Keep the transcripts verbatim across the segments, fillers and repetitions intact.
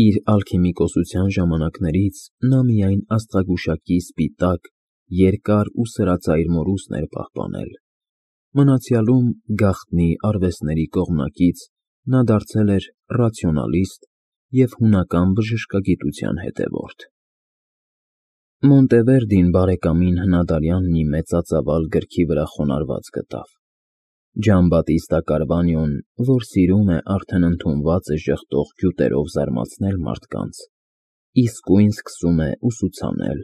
Իր ալքիմիկոսության ժամանակներից նա միայն աստղագուշակի սպիտակ, երկար ու սրածայր մորուսն էր պահպանել, մնացյալում գաղտնի արվեստների կողմնակից նա դարձել էր ռացիոնալիստ և հունական բժշկագիտության հետևորդ։ Մոնտևերդին բարեկամին հնադարյան մի մեծածավալ գրքի վրա խոնարհված գտավ. Ջանբատիստա Կարվանյոն, որ սիրում է արդեն ընդունվածը ժխտող գյուտերով զարմացնել մարդկանց, իսկույն սկսում է ուսուցանել։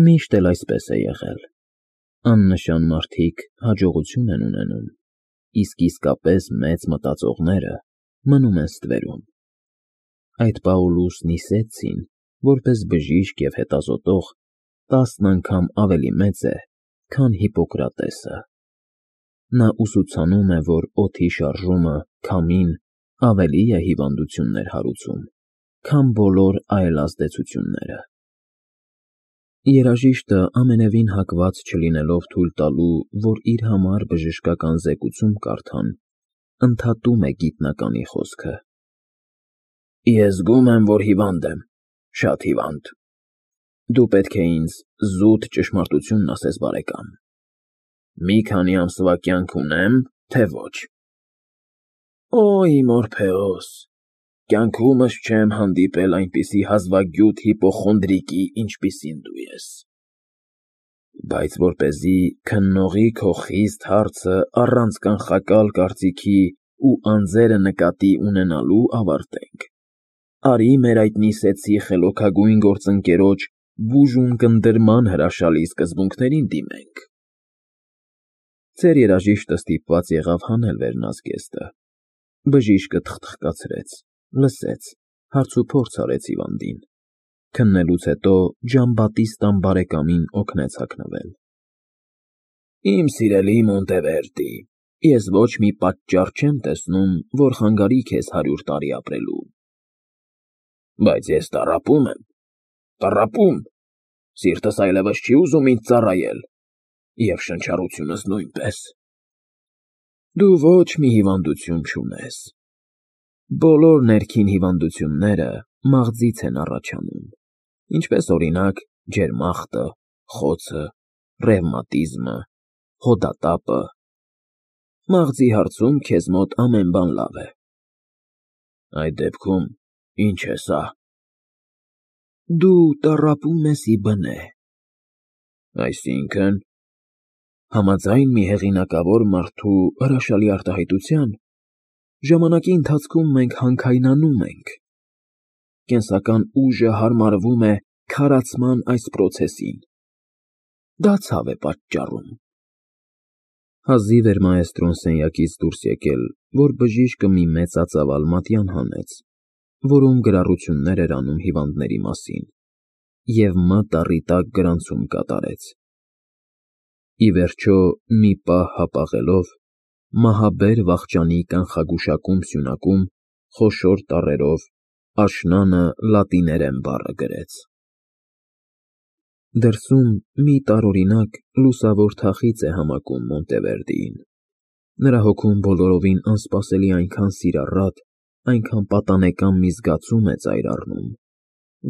Միշտ էլ այսպես է եղել. աննշան մարդիկ հաջողություն են ունենում, իսկ իսկապես մեծ մտածողները մնում են ստվերում։ Այդ Պաուլուս Նիսեցին, որպես բժիշկ և հետազոտող, տասն անգամ ավելի մեծ է, քան Հիպոկրատեսը։ Նա ուսուցանում է, որ օդի շարժումը, քամին, ավելի է հիվանդություններ հարուցում, քան բոլոր այլ ազդեցությունները։ Երաժիշտը ամենևին հակված չլինելով թույլ տալու, որ իր համար բժշկական զեկուցում կարդան, ընդհատում է գիտնականի խոսքը. Ես զգում եմ, որ հիվանդ եմ, շատ հիվանդ։ Դու պետք է ինձ զուտ ճշմարտությունն ասես, բարեկամ, մի քանի ամսվա կյանք ունե՞մ, թե ոչ։ Օ, իմ Օրփեոս, կյանքումս չեմ հանդիպել այնպիսի հազվագյուտ հիպոխոնդրիկի, ինչպիսին դու ես։ Բայց որպեսզի քննողի քո խիստ հարցը առանց կանխակալ կարծիքի ու անձերը նկատի ունենալու ավարտենք, արի մեր այդ Նիսեցի խելոքագույն գործընկերոջ բուժում կնդրման հրաշալի սկզբունքներին դիմենք։ Ծեր երաժիշտը ստիպված եղավ հանել վերնազգեստը։ Բժիշկը թխթխկացրեց, լսեց, հարցուփորձ արեց հիվանդին, քննելուց հետո Ջանբատիստան բարեկամին օգնեց հագնվել։ Իմ սիրելի Մոնտևերդի, ես ոչ մի պատճառ չեմ տեսնում, որ խանգարի քեզ հարյուր տարի ապրելու։ Բայց ես տառապում եմ, տառապում, սիրտս այլևս չի ուզում ինձ ծառայել, և շնչառությունս նույնպես։ Դու ոչ մի հիվանդություն չունես։ Բոլոր ներքին հիվանդությունները մաղձից են առաջանում, ինչպես օրինակ ջերմախտը, խոցը, ռևմատիզմը, հոդատապը։ Մաղձի հարցում քեզ մոտ ամեն բան լավ է։ Այդ դեպքում ի՞նչ է սա։ Դու տառապում ես ի բնե։ Այսինքն, համաձայն մի հեղինակավոր մարդու հրաշալի արտահայտության, ժամանակի ընթացքում մենք հանքայնանում ենք։ Կենսական ուժը հարմարվում է քարացման այս պրոցեսին։ Դա ցավ է պատճառում։ Հազիվ էր մաեստրոն սենյակից դուրս եկել, որ բժիշկը մի մեծածավալ մատյան հանեց, որում գրառություններ էր անում հիվանդների մասին, և մատ առի տակ գրանցում կատարեց։ Ի վերջո, մի պահ հապաղելով, մահաբեր վախճանի կանխագուշակում սյունակում խոշոր տառերով աշնանը լատիներեն բառը գրեց։ Դրսում մի տարօրինակ լուսավոր թախիծ է համակում Մոնտևերդիին։ Նրա հոգում բոլորովին անսպասելի այնքան սիրառատ, այնքան պատանեկան մի զգացում է ծայր առնում,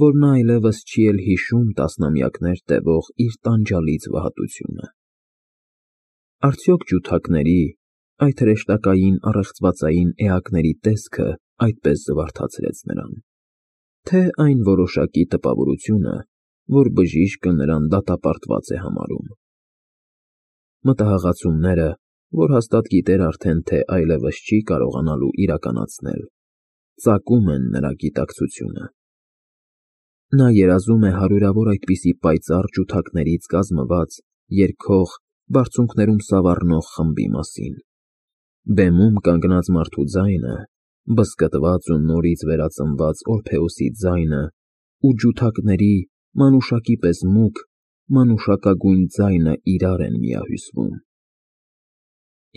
որ նա այլևս չի էլ հիշում տասնամյակներ տևող իր տանջալից վհատությունը։ Արդյոք ջութակների, այդ հրեշտակային առեղծվածային էակների տեսքը այդպես զվարթացրեց նրան, թե այն որոշակի տպավորությունը, որ բժիշկը նրան դատապարտված է համարում։ Մտահաղացումները, որ հաստատ գիտեր արդեն, թե այլևս չի կարողանալու իրականացնել, ծակում են նրա գիտակցությունը։ Նա երազում է հարյուրավոր այդպիսի պայծառ ջութակներից կազմված, երգող, բարձունքներում սավառնող խմբի մասին։ Բեմում կանգնած մարդու ձայնը, բզկտված ու նորից վերածնված Օրփեոսի ձայնը ու ջութակների մանուշակի պես մուգ, մանուշակագույն ձայնը իրար են միահյուսվում։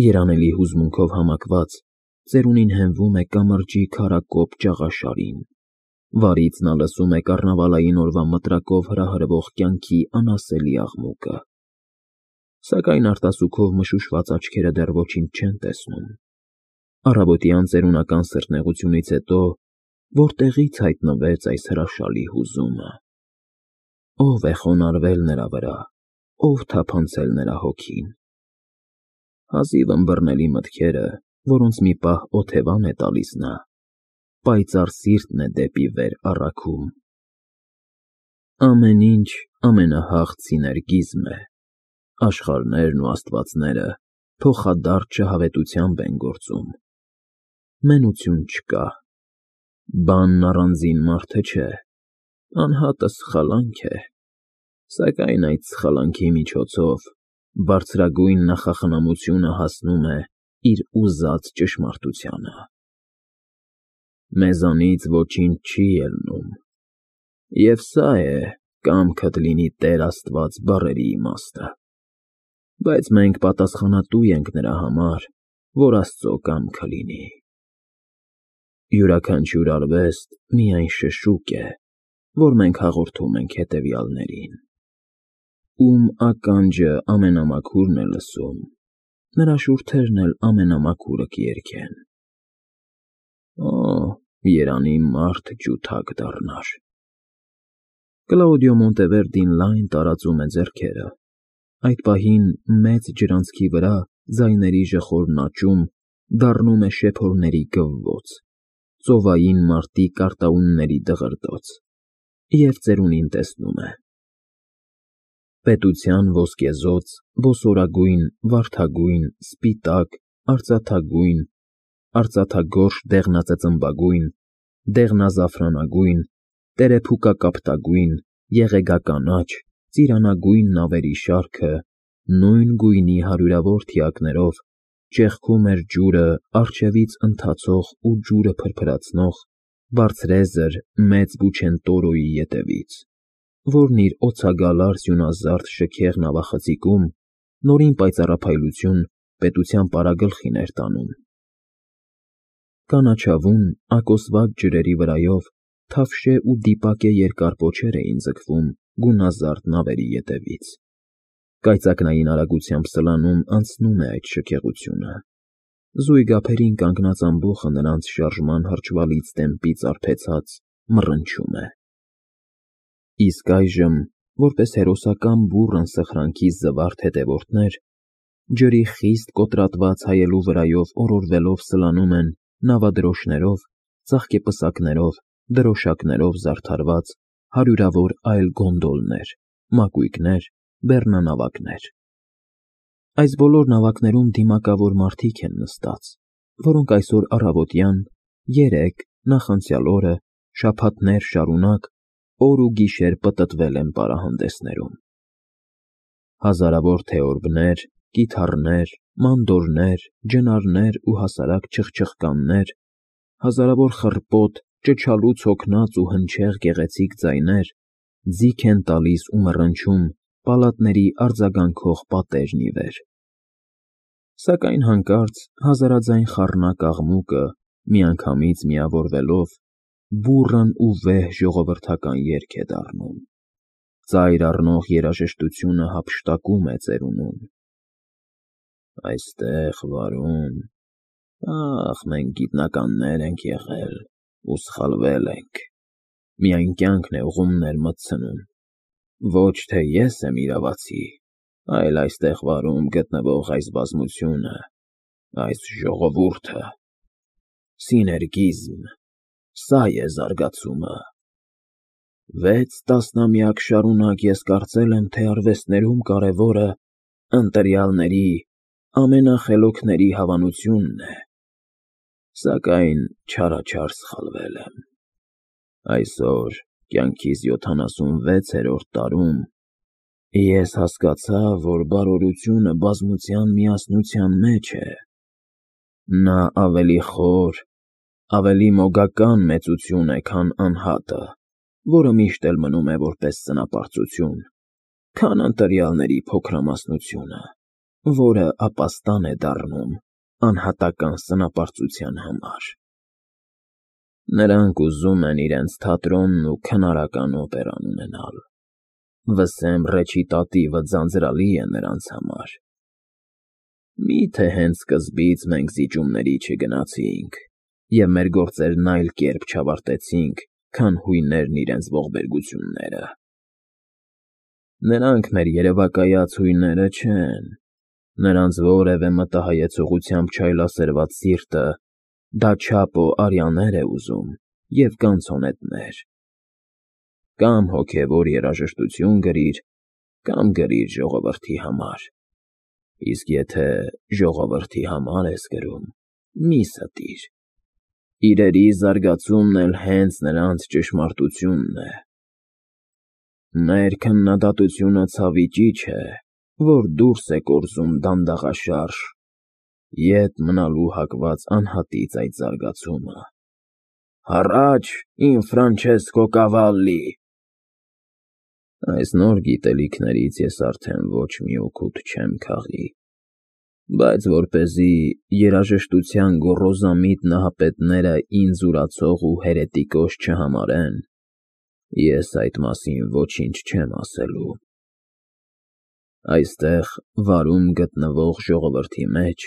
Երանելի հուզմունքով համակված, ծերունին հենվում է կամրջի քարակոպ ճաղաշարին, վարից նա լսում է կառնավալային օրվա մտրակով հրահրվող կյանքի անասելի աղմուկը։ Սակայն արտասուքով մշուշված աչքերը դեռ ոչինչ չեն տեսնում։ Առավոտյան ծերունական սրտնեղությունից հետո Որտեղից հայտնվեց այս հրաշալի հուզումը։ Ո՞վ է խոնարհվել նրա վրա, ով թափանցել նրա հոգին։ Հազիվ ըմբռնելի մտքերը, որոնց մի պահ օթևան է տալիս նա, պայծառ սիրտն է դեպի վեր առաքում։ Ամեն ինչ ամենահաղ սիներգիզմ է, աշխարհներն ու աստվածները փոխադարձ շահավետությամբ են գործում։ Մենություն չկա, բանն առանձին մարդը չէ, անհատը սխալանք է, սակայն այդ սխալանքի միջոցով բարձրագույն նախախնամությունը հասնում է իր ուզած ճշմարտությանը։ Մեզանից ոչինչ չի ելնում, և սա է «կամքդ լինի Տեր Աստված» բառերի իմաստը, բայց մենք պատասխանատու ենք նրա համար, որ Աստծո կամքը լինի։ Յուրաքանչյուր արվեստ միայն շշուկ է, որ մենք հաղորդում ենք հետևյալներին։ Ում ականջը ամենամաքուրն է լսում, նրա շուրթերն էլ ամենամաքուրը կերգեն։ Օ, երանի մարդ ջութակ դառնար։ Կլաուդիո Մոնտևերդին լայն տարածում է ձեռքերը։ Այդ պահին մեծ ջրանցքի վրա ձայների ժխորն աճում դառնում է շեփորների գվվոց, ծովային մարտի կարտաունների դղրդոց, և ծերունին տեսնում է. պետության ոսկեզօծ, ոսորագույն, վարդագույն, սպիտակ, արծաթագույն, արծաթագորշ դեղնածծմբագույն, դեղնազարդարնագույն, տերեփուկակապտագույն, եղեգականաչ, ծիրանագույն նավերի շարքը նույն գույնի հարյուրավոր թիակներով ճեղքում էր ջուրը առջևից ընթացող ու ջուրը փրփրացնող բարձրեզր մեծ Բուչենտորոյի ետևից, որն իր օձագալար սյունազարդ շքեղ նավախցիկում նորին պայծառափայլություն պետության պարագլխին էր տանում։ Կանաչավուն, ակոսված ջրերի վրայով թավշե ու դիպակե երկար պոչեր էին ձգվում գունազարդ նավերի ետևից։ Կայծակնային արագությամբ սլանում անցնում է այդ շքեղությունը։ Զույգ ափերին կանգնած ամբոխը նրանց շարժման հրճվալից տեմպից արբեցած մռնչում է։ Իսկ այժմ, որպես հերոսական բուռն սխրանքի զվարթ հետևորդներ, ջրի խիստ կոտրատված հայելու վրայով օրորվելով սլանում են նավադրոշներով, ծաղկեպսակներով, դրոշակներով զարդարված հարյուրավոր այլ գոնդոլներ, մակույկներ, բեռնանավակներ։ Այս բոլոր նավակներում դիմակավոր մարդիկ են նստած, որոնք այսօր առավոտյան, երեկ, նախանցյալ օրը, շաբաթներ շարունակ օր ու գիշեր պտտվել են պարահանդեսներում։ Հազարավոր թեորբներ, կիթառներ, մանդորներ, ջնարներ ու հասարակ չխչխկաններ, հազարավոր խռպոտ, ճչալուց հոգնած ու հնչեղ գեղեցիկ ձայներ ձիգ են տալիս ու մռնչում պալատների արձագանքող պատերն ի վեր։ Սակայն հանկարծ հազարաձայն խառնակ աղմուկը միանգամից միավորվելով բուռն ու վեհ ժողովրդական երգ է դառնում։ Ծայր առնող երաժշտությունը հափշտակում է ծերունուն։ Այստեղ, վարում, ախ, մենք գիտնականներ ենք եղել ու սխալվել ենք, միայն կյանքն է ուղումներ մտցնում, ոչ թե ես եմ իրավացի, այլ այստեղ վարում գտնվող այս բազմությունը, այս ժողովուրդը, սիներգիզմ, սա է զարգացումը։ Վեց տասնամյակ շարունակ ես կարծել եմ, թե արվեստներում կարևորը ընտրյալների, ամենախելոքների հավանությունն է, սակայն չարաչար սխալվել եմ։ Այսօր, կյանքիս յոթանասունվեցերորդ տարում, ես հասկացա, որ բարօրությունը բազմության միասնության մեջ է։ Նա ավելի խոր, ավելի մոգական մեծություն է, քան անհատը, որը միշտ էլ մնում է որպես սնապարծություն, քան ընտրյալների փոքրամասնությունը, որը ապաստան է դառնում անհատական սնապարծության համար։ Նրանք ուզում են իրենց թատրոնն ու քնարական օպերան ունենալ։ Վսեմ ռեչիտատիվը ձանձրալի է նրանց համար։ Մի՞թե հենց սկզբից մենք զիջումների չգնացինք, և մեր գործերն այլ կերպ չավարտեցինք, քան հույներն իրենց ողբերգությունները։ Նրանք մեր երևակայած հույները չեն, նրանց որևէ մտահայեցողությամբ չայլասերված սիրտը դա չափո արյաներ է ուզում և կանցոնետներ։ Կամ հոգևոր երաժշտություն գրիր, կամ գրիր ժողովրդի համար, իսկ եթե ժողովրդի համար ես գրում, մի ստիր, իրերի զարգացումն էլ հենց նրանց ճշմարտությունն է։ Մեր քննադատությունը ցավի ճիչ է, որ դուրս է կորզում դանդաղաշարժ, ետ մնալու հակված անհատից այդ զարգացումը։ Հառաչ, իմ Ֆրանչեսկո Կավալլի։ Այս նոր գիտելիքներից ես արդեն ոչ մի օգուտ չեմ քաղի, բայց որպեսզի երաժշտության գոռոզամիտ նահապետները ինձ ուրացող ու հերետիկոս չհամարեն, ես այդ մասին ոչինչ չեմ ասելու։ Այստեղ վարում գտնվող ժողովրդի մեջ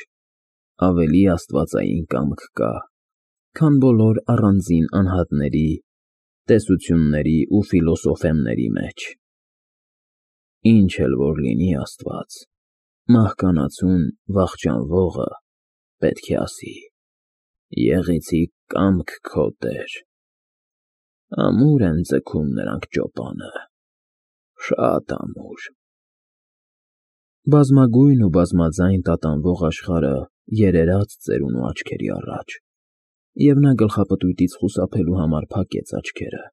ավելի աստվածային կամք կա, քան բոլոր առանձին անհատների, տեսությունների ու ֆիլոսոֆեմների մեջ։ Ինչ էլ որ լինի Աստված, մահկանացուն վախճանվողը պետք է ասի. «Եղեցի կամք քո, Տեր»։ Ամուր են ձգում նրանք ճոպանը, շատ ամուր։ Բազմագույն ու բազմաձայն տատանվող աշխարհը երերաց ծերունու աչքերի առաջ, և նա գլխապտույտից խուսափելու համար փակեց աչքերը։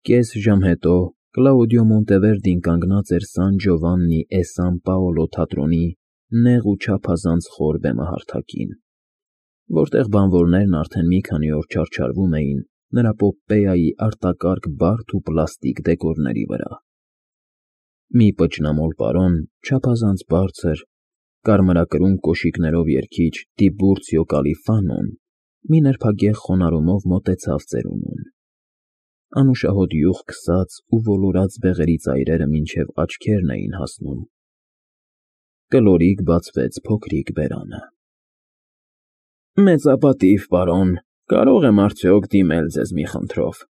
Կես ժամ հետո Կլաուդիո Մոնտևերդին կանգնած էր Սան Ջովաննի է Սան Պաոլո թատրոնի նեղ ու չափազանց խոր բեմահարթակին, որտեղ բանվորներն արդեն մի քանի օր չարչարվում էին նրա պոպպեայի արտակարգ բարդ ու պլաստիկ դեկորների վրա։ Մի պճնամոլ պարոն, չափազանց բարձր, կարմրակրուն կոշիկներով երգիչ Տիբուրցիո Կալիֆանոն մի նրբագեղ խոնարհումով մոտեցավ ծերունուն։ Անուշահոտ յուղ քսած ու ոլորած բեղերի ծայրերը մինչև աչքերն էին հասնում։ Կլորիկ բացվեց փոքրիկ բերանը։ Մեծապատիվ պարոն, կարո՞ղ եմ արդյոք դիմել ձեզ մի խնդրով։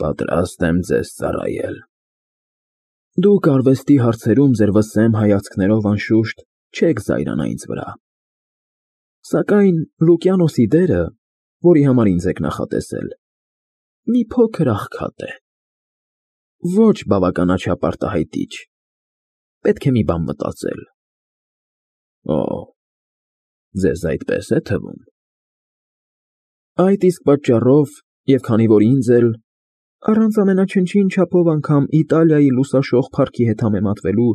Պատրաստ եմ ձեզ ծառայել։ Դուք արվեստի հարցերում ձեր վսեմ հայացքներով անշուշտ չեք զայրանա ինձ վրա։ Սակայն Լուկիանոսի դերը, որի համար ինձ եք նախատեսել, մի փոքր աղքատ է, ոչ բավականաչափ արտահայտիչ, պետք է մի բան մտածել։ Օ, ձեզ այդպես է թվում։ Այդ իսկ պատճառով, և քանի որ ինձ էլ, առանց ամենաչնչին չափով անգամ Իտալիայի լուսաշող փառքի հետ համեմատվելու,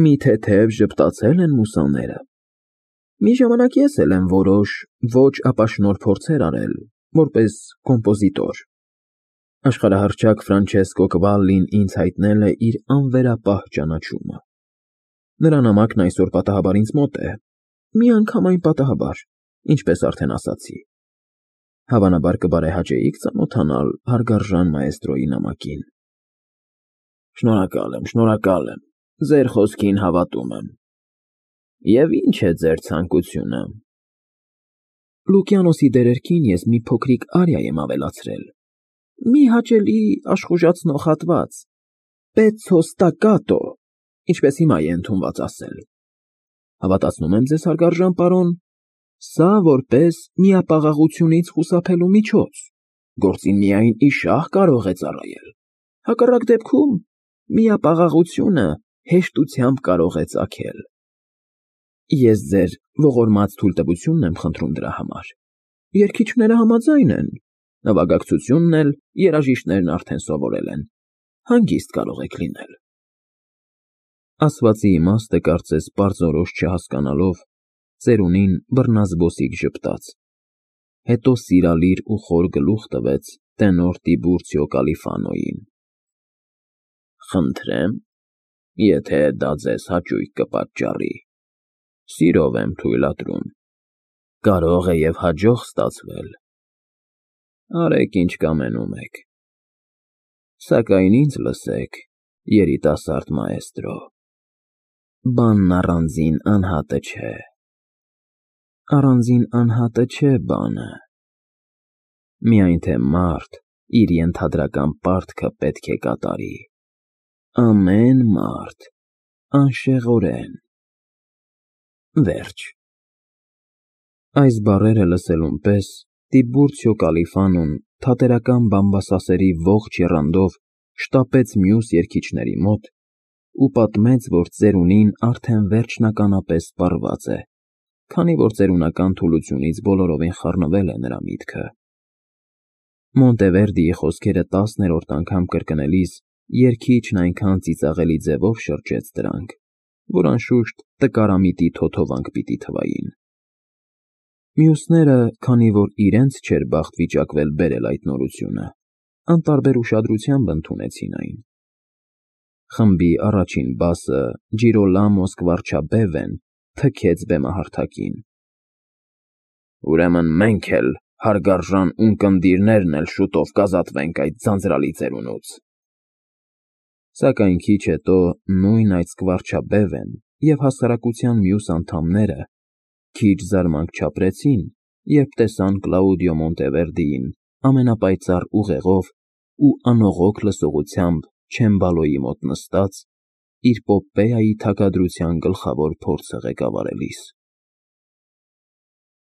մի թեթև ժպտացել են մուսաները, մի ժամանակ ես էլ եմ որոշ ոչ ապաշնորհ փորձեր արել, որպես կոմպոզիտոր։ Աշխարհահռչակ Ֆրանչեսկո Կվալլին ինձ հայտնել է իր անվերապահ ճանաչումը։ Նրա նամակն այսօր պատահաբար ինձ մոտ է, միանգամայն պատահաբար, ինչպես արդեն ասացի։ Հավանաբար կբարեհաճեիք ծանոթանալ հարգարժան մաեստրոյի նամակին։ Շնորհակալ եմ, շնորհակալ եմ, ձեր խոսքին հավատում եմ։ Եվ ի՞նչ է ձեր ցանկությունը։ Լուկիանոսի դերերքին ես մի փոքրիկ արիա եմ ավելացրել, մի հաճելի աշխուժացնող հատված, պեցցո ստակկատո, ինչպես հիմա է ընդունված ասել։ Հավատացնում եմ ձեզ, հարգարժան պարոն, սա որպես միապաղաղությունից խուսափելու միջոց, գործին միայն իշահ կարող է ծառայել, հակառակ դեպքում միապաղաղությունը հեշտությամբ կարող է ծագել։ Ես ձեր ողորմած թույլտվությունն եմ խնդրում դրա համար։ Երգիչները համաձայն են, նվագակցությունն էլ երաժիշտներն արդեն սովորել են, հանգիստ կարող եք լինել։ Ասվածի իմաստը կարծես պարզորոշ չհասկանալով, ծերունին բռնազբոսիկ ժպտաց, հետո սիրալիր ու խոր գլուխ տվեց տենոր Տիբուրցիո Կալիֆանոյին։ Խնդրեմ, եթե դա ձեզ հաճույք կպատճառի, սիրով եմ թույլատրում, կարող է և հաջող ստացվել։ Արեք ինչ կամենում եք։ Սակայն ինձ լսեք, երիտասարդ մաեստրո, բանն առանձին անհատը չէ։ Առանձին անհատը չէ բանը, միայն թե մարդ իր ենթադրական պարտքը պետք է կատարի, ամեն մարդ, անշեղորեն, վերջ։ Այս բառերը լսելուն պես Տիբուրցիո Կալիֆանոն թատերական բամբասասերի ողջ եռանդով շտապեց մյուս երգիչների մոտ ու պատմեց, որ ծերունին արդեն վերջնականապես սպառված է, քանի որ ծերունական թուլությունից բոլորովին խառնվել է նրա միտքը։ Մոնտևերդիի խոսքերը տասներորդ անգամ կրկնելիս երգիչն այնքան ծիծաղելի ձևով շրջեց դրանք, որ անշուշտ տկարամիտի թոթովանք պիտի թվային։ Մյուսները, քանի որ իրենց չէր բախտ վիճակվել բերել այդ նորությունը, անտարբեր ուշադրությամբ ընդունեցին այն։ Խմբի առաջին բասը Ջիրոլամո Սկվարչաբևեն թքեց բեմահարթակին։ Ուրեմն մենք էլ, հարգարժան ունկնդիրներն էլ շուտով կազատվենք այդ ձանձրալի ծերունուց։ Սակայն քիչ հետո նույն այդ Սկվարչաբևեն և հասարակության մյուս անդամները քիչ զարմանք չապրեցին, երբ տեսան Կլաուդիո Մոնտևերդիին ամենապայծառ ուղեղով ու անողոք լսողությամբ չեմբալոյի մոտ նստած, իր Պոպեայի թագադրության գլխավոր փորձը ղեկավարելիս։